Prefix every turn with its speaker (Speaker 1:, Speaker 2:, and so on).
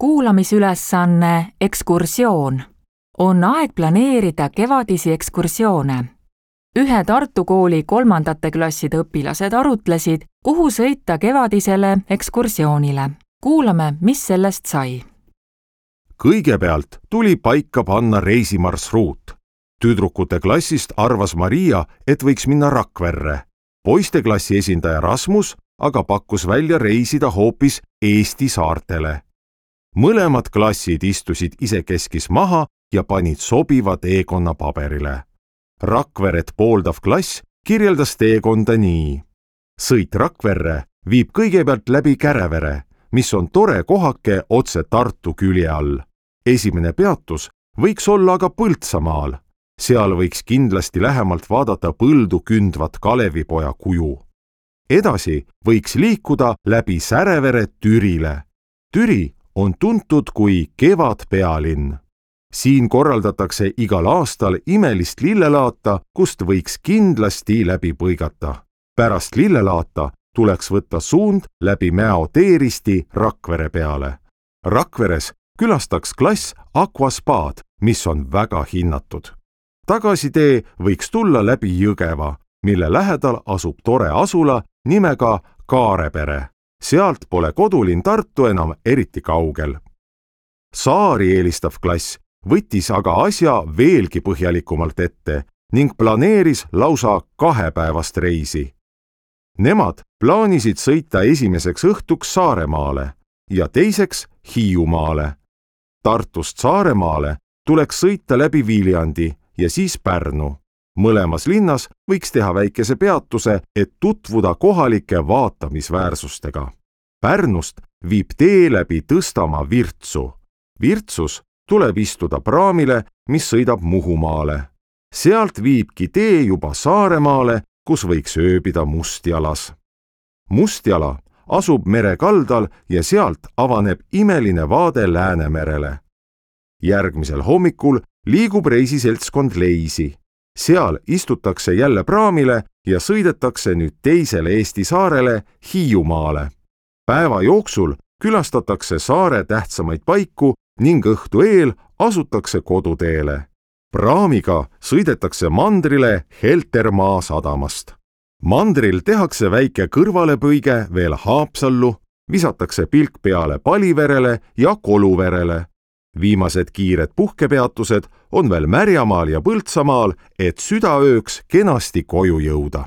Speaker 1: Kuulamisülesanne ekskursioon. On aeg planeerida kevadisi ekskursioone. Ühe Tartu kooli 3. klasside õpilased arutlesid, kuhu sõita kevadisele ekskursioonile. Kuulame, mis sellest sai.
Speaker 2: Kõigepealt tuli paika panna reisimarsruut. Tüdrukute klassist arvas Maria, et võiks minna Rakverre. Poisteklassi esindaja Rasmus aga pakkus välja reisida hoopis Eesti saartele. Mõlemad klassid istusid isekeskis maha ja panid sobiva teekonna paberile. Rakveret pooldav klass kirjeldas teekonda nii. Sõit Rakverre viib kõigepealt läbi Kärevere, mis on tore kohake otse Tartu külje all. Esimene peatus võiks olla aga Põltsamaal. Seal võiks kindlasti lähemalt vaadata põldu kündvat Kalevipoja kuju. Edasi võiks liikuda läbi Särevere Türile. Türi on tuntud kui kevadpealinn. Siin korraldatakse igal aastal imelist lillelaata, kust võiks kindlasti läbi põigata. Pärast lillelaata tuleks võtta suund läbi Mäo teeristi Rakvere peale. Rakveres külastaks klass Aquaspaad, mis on väga hinnatud. Tagasitee võiks tulla läbi Jõgeva, mille lähedal asub tore asula nimega Kaarepere. Sealt pole kodulinn Tartu enam eriti kaugel. Saari eelistav klass võttis aga asja veelgi põhjalikumalt ette ning planeeris lausa 2-päevast reisi. Nemad plaanisid sõita esimeseks õhtuks Saaremaale ja teiseks Hiiumaale. Tartust Saaremaale tuleks sõita läbi Viljandi ja siis Pärnu. Mõlemas linnas võiks teha väikese peatuse, et tutvuda kohalike vaatamisväärsustega. Pärnust viib tee läbi Tõstamaa Virtsu. Virtsus tuleb istuda praamile, mis sõidab Muhumaale. Sealt viibki tee juba Saaremaale, kus võiks ööbida Mustjalas. Mustjala asub mere kaldal ja sealt avaneb imeline vaade Läänemerele. Järgmisel hommikul liigub reisiseltskond Leisi. Seal istutakse jälle praamile ja sõidetakse nüüd teisele Eesti saarele Hiiumaale. Päeva jooksul külastatakse saare tähtsamaid paiku ning õhtu eel asutakse koduteele. Praamiga sõidetakse mandrile Heltermaa sadamast. Mandril tehakse väike kõrvalepõige veel Haapsallu, visatakse pilk peale Paliverele ja Koluverele. Viimased kiired puhkepeatused on veel Märjamaal ja Põltsamaal, et südaööks kenasti koju jõuda.